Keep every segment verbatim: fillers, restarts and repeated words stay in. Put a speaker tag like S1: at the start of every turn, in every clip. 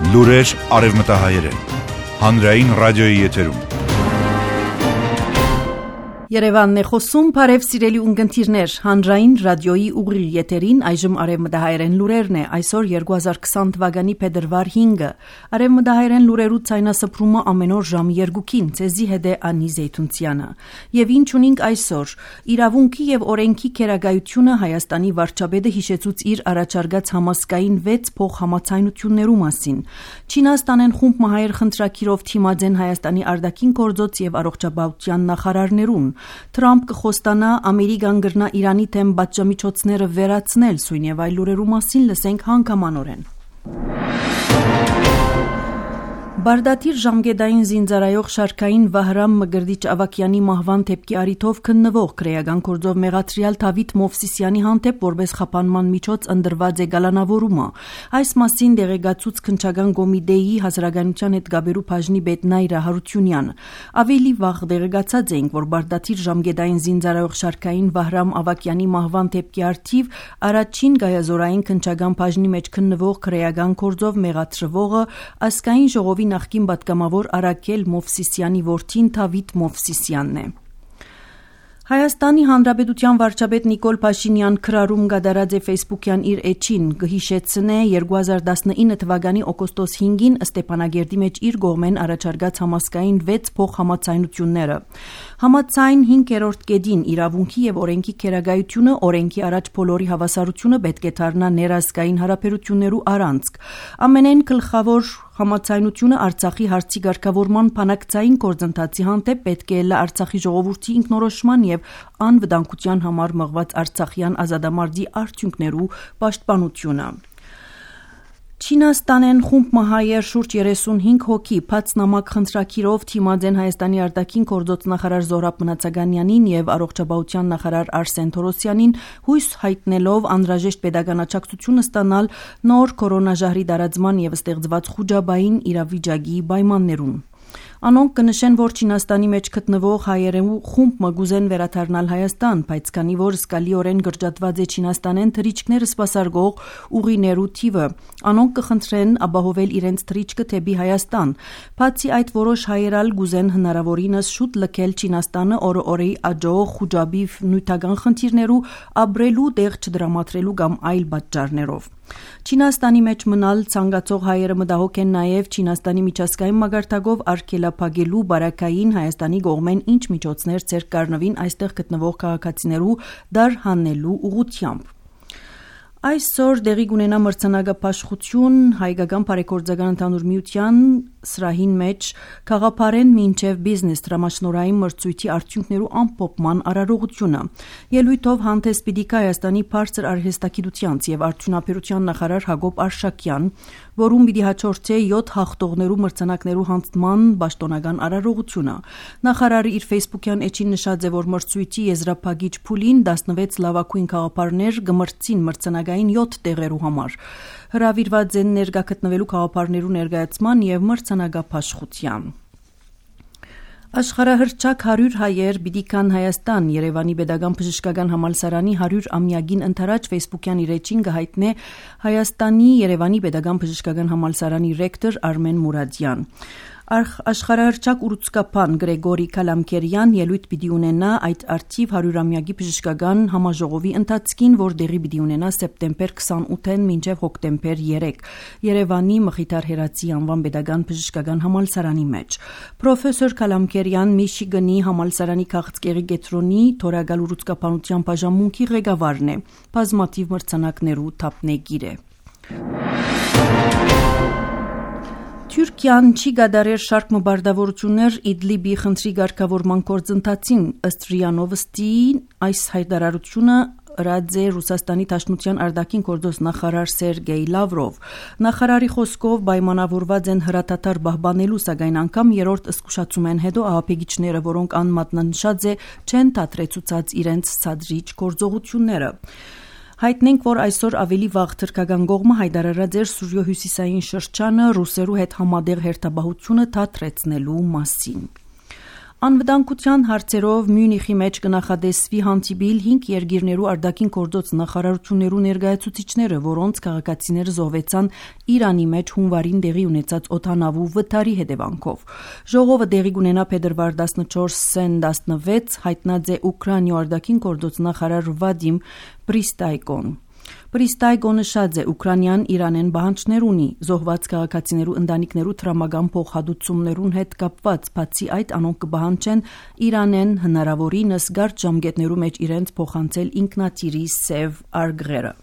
S1: Լուրեր արևմտահայերեն։ Հանրային ռադիոյի եթերում։
S2: Երևանն է խոսում, բարև սիրելի ունկնդիրներ, հանրային ռադիոյի ուղիղ եթերին այժմ արևմտահայերեն լուրերն է, այսօր երկու հազար քսան թվականի փետրվար հինգը, արևմտահայերեն լուրերու ցայնասփռումը ամեն օր ժամը երկուքին, ցեզի հետ է Անի Զեյթունցյանը, եւ ինչ ունենք այսօր, իրավունքի եւ օրենքի քերագայությունը Հայաստանի վարչապետը հիշեցուց իր առաջարկած համասկային վեց փոխհամաձայնություններու մասին, Չինաստանեն խումբ մահայեր խնդրակիրով թիմաձեն Հայաստանի արտաքին գործոց եւ առողջապահության նախարարներուն Թրամփ կխոստանա Ամերիկան գրնա Իրանի թեմ բաժամիջոցները վերացնել, սույն եւ այլ լուրերու մասին լսենք հանգամանորեն։ Բարդատիր ժամկետային զինծառայող շարքային Վահրամ Մգրդիչ Ավակյանի մահվան դեպքի առիթով քննվող քրեական գործով մեղադրյալ Դավիթ Մովսիսյանի հանդեպ որպես խափանման միջոց ընդրված է գալանավորումը։ Այս մասին դեղեկացուց քննչական կոմիտեի հասարակայնության հետ գաբերու բաժնի պետ Նայրա Հարությունյանը։ Ավելի վաղ դեղեկացած էինք, որ Բարդատիր ժամկետային զինծառայող շարքային Վահրամ Ավակյանի մահվան դեպքի առիթով առաջին գայազորային քննչական բաժնի մեջ քննվող քրեական գործով մեղադրվողը ազգային ժողովի նախկին պատգամավոր Արաքել Մովսիսյանի որդին Դավիթ Մովսիսյանն է։ Հայաստանի Հանրապետության վարչապետ Նիկոլ Փաշինյան քրարում գդարած է Facebook-յան իր էջին գհիշեցնե երկու հազար տասնինը թվականի օգոստոս հինգին Ստեփանագերդի մեջ իր գողմեն առաջարկած համասկային վեց փոխհամաձայնությունները։ Համաձայն հինգերորդ կետին իրավունքի եւ օրենքի քերագայությունը օրենքի առաջ բոլորի հավասարությունը պետք է դառնա ներազգային հարաբերություններու առանցք։ Ամենեն գլխավոր համաձայնությունը Արցախի հարցի ղեկավարման բանակցային գործընթացի հանդեպ պետք է լա Արցախի ժողովրդի ինքնորոշման եւ անվտանգության համար մղված Արցախյան ազատամարտի արդյունքներու պաշտպանությունը։ Չինաստանեն խումբ մահայեր շուրջ երեսունհինգ հոգի բաց նամակ խնդրակիրով թիմաձեն Հայաստանի արտաքին գործոց նախարար Զոհրաբ Մնացականյանին եւ առողջապահության նախարար Արսեն Թորոսյանին հույս հայտնելով անհրաժեշտ pedagogan աջակցություն ստանալ նոր կորոնաժահրի տարածման եւ ստեղծված խոճապային իրավիճակի պայմաններուն։ Անոնք կնշեն, որ Չինաստանի մեջ գտնվող հայերու խումբ մգուզեն վերադառնալ Հայաստան, բայց քանի որ զգալիորեն գրջատված է Չինաստանեն թռիչքները սպասարկող ուղիներու թիվը, անոնք կխնդրեն ապահովել իրենց թռիչքը դեպի Հայաստան։ Բացի այդ, որոշ հայերալ գուզեն հնարավորինս շուտ լքել Չինաստանը օրը-օրեի աջող խոճապի նյութական խնդիրներու ապրելու տեղ չդրամատրելու կամ այլ պատճառներով։ Չինաստանի մեջ մնալ ցանկացող հայերը մտահոգ են նաև Չինաստանի միջազգային մագարտակով արգելափակելու բարակային Հայաստանի կողմեն ինչ միջոցներ ցերկ կառնվին այստեղ գտնվող քաղաքացիներու դար հանելու ուղղությամբ։ Այսօր դեղի կունենա մրցանակապաշխություն հայկական բարեգործական ընդհանուր միության սրահին մեջ քաղաքապարեն մինչև բիզնես դրամաշնորհային մրցույթի արդյունքներու ամփոփման արարողությունը։ Ելույթով հանդես պիտի գա Հայաստանի բարձր արհեստագիտության եւ արդյունաբերության նախարար Հակոբ Արշակյան, որում պիտի հաջորդե յոթ հաղթողներու մրցանակներու հանձնման պաշտոնական արարողությունը։ Նախարարը իր Facebook-յան էջին նշած է, որ մրցույթի եզրափակիչ փուլին տասնվեց լավագույն քաղաքապարներ գմրցին մրցանակային յոթ տեղերու համար։ Հրավիրված են ներկա գտնվելու քաղաքապարներու ներկայացման եւ մրցանակապաշխության։ Աշխարհահռչակ հարյուր հայեր պիտի կան Հայաստան Երևանի Պետական բժշկական համալսարանի հարյուր ամյակին ընթരാճ Facebook-յան իր էջին կհայտնե Հայաստանի Երևանի Պետական բժշկական համալսարանի ռեկտոր Արմեն Մուրադյան։ Աշխարհահռչակ ուռուցքապան Գրեգորի Կալամքերյան ելույթ պիտի ունենա այդ արդիվ հարյուրամյակի բժշկական համաժողովի ընթացքին, որ դեղի պիտի ունենա սեպտեմբեր քսանութին մինչև հոկտեմբեր երեք Երևանի Մխիթար Հերացի անվան Պետական բժշկական համալսարանի մեջ։ Պրոֆեսոր Կալամքերյան Միչիգանի համալսարանի քաղցկեղի կենտրոնի թորագալ ուռուցքապանության բաժանմունքի ղեկավարն է, բազմաթիվ մրցանակներու թափնեգիր է։ Թուրքիան չի գադարեր շարք մբարդավորություններ Իդլիբի խնդրի ղեկավարման գործընթացին ըստ ՌԻԱ Նովոստի այս հայտարարությունը ըրած է Ռուսաստանի Դաշնության արտաքին գործոս նախարար Սերգեյ Լավրով։ Նախարարի խոսքով պայմանավորված են հրատատար պահպանելու, սակայն անգամ երրորդ զսկուշացում են հետո ահաբեկիչները, որոնք անմատնանշած է չեն դադրեցուցած իրենց ցածրիչ գործողությունները։ Հայտնենք, որ այսօր ավելի վաղ թրքական կողմը հայտարարած էր Սուրյո հյուսիսային շրջանը ռուսերու հետ համատեղ հերթապահությունը դադրեցնելու մասին։ Անվտանգության հարցերով Մյունիխի մեջ կնախադեсվի հանդիպիլ հինգ երկիրներու արտաքին գործոց նախարարություններու ներկայացուցիչները, որոնց քաղաքացիները զոհվեցան Իրանի մեջ հունվարին տեղի ունեցած օդանավու վթարի հետևանքով։ Ժողովը տեղի կունենա փետրվար տասնչորսին տասնվեց, հայտնած է Ուկրաինայ արտաքին գործոց նախարար Վադիմ Պրիստայկոն։ Պրիստայկոն նշած է Ուկրաինան Իրանեն բանջներ ունի զոհված քաղաքացիներու ընտանիքներու տրամական փոխհատուցումներուն հետ կապված, բացի այդ անոնք կբահանջեն Իրանեն հնարավորինս գարտ ժամկետներու մեջ իրենց փոխանցել ինքնաթիռի սև արգղերը։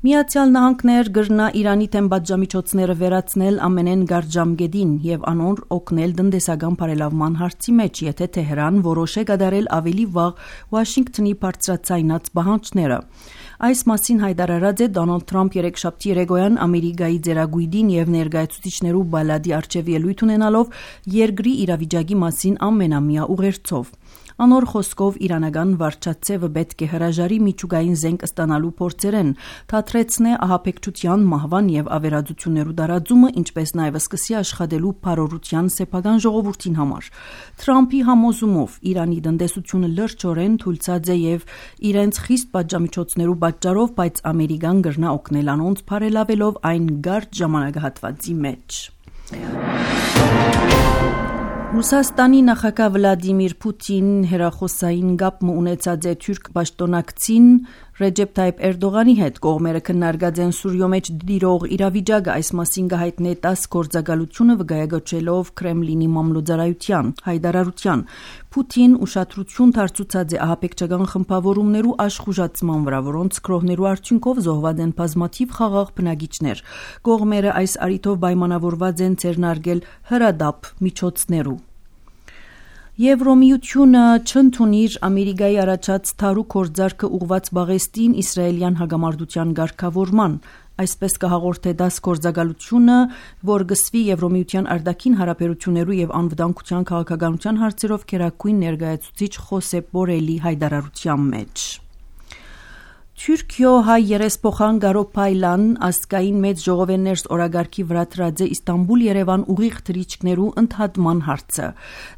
S2: Միացյալ Նահանգներ գրնա Իրանի թեմ պատժամիջոցները վերացնել ամենեն գարտ ժամկետին եւ անոր օգնել տնտեսական բարելավման հարցի մեջ, եթե Թեհրան որոշե կատարել ավելի վաղ Վաշինգտոնի բարձրացայնած պահանջները։ Այս մասին հայտարարած է Դոնալդ Թրամփ երեքշաբթի երեկոյան Ամերիկայի ձեռագույդին եւ ներկայացուցիչներու բալադի արչեւ ելույթ ունենալով երկրի իրավիճակի մասին ամենամյա ուղերձով։ Անոր խոսքով իրանական վարչացեվը պետք է հրաժարի միջուկային զենք ստանալու փորձերեն, թատրեցնե ահաբեկչության, մահվան եւ ավերածություններու դարաձումը, ինչպես նաեւ սկսի աշխատելու բարօրության սեփական ժողովրդին համար։ Թրամփի համոզումով Իրանի տնտեսությունը լրջորեն թույլատրած է եւ իրենց խիստ պատժամիջոցներու պատճառով, բայց Ամերիկան գրնա օգնել անոնց բարելավելով այն գարտ ժամանակահատվածի մեջ։ Ռուսաստանի նախագահ Վլադիմիր Պուտին հերախոսային գապ ունեցած է թուրք պաշտոնակցին Ռեջեփ Թայիփ Էրդողանի հետ, կողմերը քննարկած են Սուրիո մեջ դիրող իրավիճակը, այս մասին կհայտնի տաս գործակալությունը վկայակոչելով Կրեմլինի մամլոյցարայության հայտարարության։ Պուտին ուշադրություն դարձուցած է ահաբեկչական խմբավորումներու աշխուժացման վրա, որոնց կրողներու արդյունքով զոհված են բազմաթիվ խաղաղ բնակիչներ։ Կողմերը այս առիթով պայմանավորված են ձեռնարկել հրադապ միջոցներու։ Եվրոմիությունը չընդունիր Ամերիկայի առաջած թարու կորձարկը ուղված բաղեստին իսրայելյան հագամարտության ղեկավարման, այսպես կհաղորդե դաս գործակալությունը, որ գսվի Եվրոմիության արտաքին հարաբերություններու եւ անվտանգության քաղաքականության հարցերով քերակույն ներկայացուցիչ Խոսեփ Բորելի հայտարարության մեջ։ Թուրքիո հայ երեսփոխան Գարո Փայլան ասկային մեծ ժողովեններս օրագարկի վրա դրած է Իստանբուլ-Երևան ուղիղ թռիչքներու ընդհատման հարցը։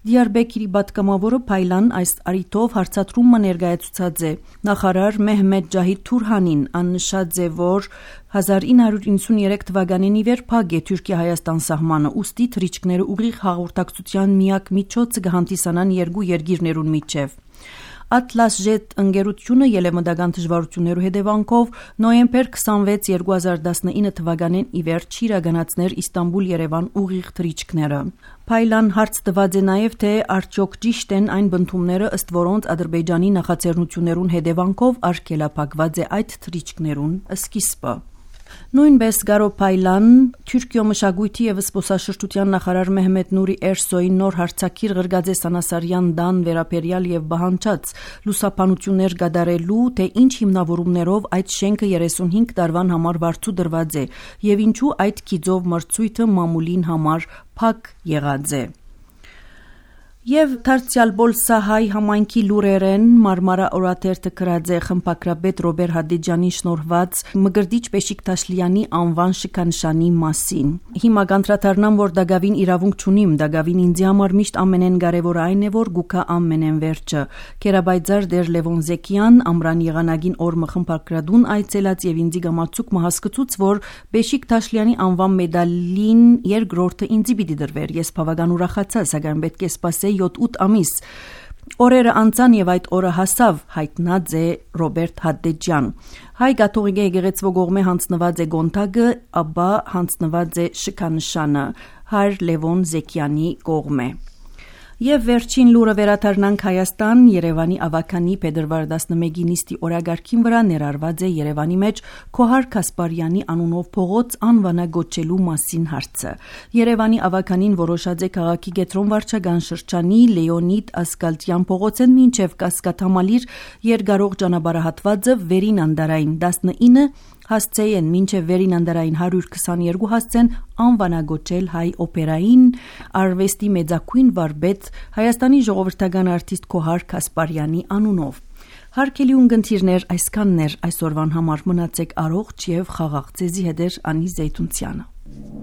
S2: Դիարբեկիրի պատգամավորը Փայլան այս առիթով հարցադրումը ներկայացուցած է նախարար Մեհմեդ Ջահիդ Թուրհանին, աննշած է, որ հազար ինը հարյուր իննսուններեք թվականին ի վեր փակ է Թուրքիա-Հայաստան սահմանը, ուստի թռիչքները ուղիղ հաղորդակցության միակ միջոցը կհանդիսանան երկու երկիրներուն միջև։ Atlas-Jet ընկերությունը ելեմտական դժվարություններու հետևանքով նոյեմբեր քսանվեց երկու հազար տասնինը թվականին ի վերջ իրականացներ Իստանբուլ-Երևան ուղիղ թռիչքները։ Փայլան հարց տված է նաև, թե արդյոք ճիշտ են այն բնդումները, ըստ որոնց Ադրբեջանի նախաձեռնություններուն հետևանքով արգելափակված է այդ թռիչքներուն սկիզբը։ Նույնպես Գարո Փայլան Թուրքիո մշակույթի եւ զբոսաշրջության նախարար Մեհմեդ Նուրի Էրսոյին նոր հարցակիր ղրգած է Սանասարյան դան վերապերյալ եւ բահանջած լուսապանություններ կատարելու, թե ինչ հիմնավորումներով այդ շենքը երեսունհինգ տարվան համար վարձու դրված է եւ ինչու այդ քիծով մրցույթը մամուլին համար փակ եղած է։ Եվ դարձյալ Բոլսահայ համայնքի լուրերեն Մարմարա օրաթերթը գրած է խմբակրապետ Ռոբեր Հադիջանի շնորհված Մգրդիչ Բեշիկտաշլյանի անվան շքանշանի մասին։ Հիմա կանդրադառնամ, որ դակավին իրավունք չունիմ, դակավին ինձ համար միշտ ամենեն կարևոր այն է, որ գուքա ամենեն վերջը։ Կերաբայձար դեր Լևոն Զեկյան ամրան եղանագին օրմը խմբակրադուն այցելած եւ ինձի գամացուկ մահասկծուց, որ Բեշիկտաշլյանի անվան մեդալին երկրորդը ինձի պիտի դրվեր։ Ես բավական ուրախացա, սակայն պետք է սպասել յոթ-ութ ամիս։ Օրերը անցան եւ այդ օրը հասավ, հայտնած է Ռոբերտ Հադեջյան։ Հայ կաթողիկ եկեղեցու կողմէ հանձնված է գոնտագը, ապա հանձնված է շքանշանը Հայր Լևոն Զեկյանի կողմէ։ Եվ վերջին լուրը վերադառնանք Հայաստան, Երևանի ավականի փետրվար տասնմեկի նիստի օրագարկին վրա ներառված է Երևանի մեջ Քոհար Կասպարյանի անունով փողոց անվանագոչելու մասին հարցը։ Երևանի ավականին որոշած է քաղաքի կենտրոն վարչական շրջանի Լեոնիդ Ասկալտյան փողոցեն մինչև Կասկադամալիր երկարող ճանապարհահատվածը վերին անդարային տասնինը հասցեին մինչև վերին անդարային հարյուր քսաներկու հասցեն անվանագոչել հայ օպերային արվեստի մեծակույն վարպետ Հայաստանի ժողովրդական արտիստ Քոհար Կասպարյանի անունով։ Հարգելի ունկնդիրներ, այսքանն էր այսօրվան համար, մնացեք առողջ եւ խաղաղ, ձեզի հետ է Անի Զեյթունցյանը։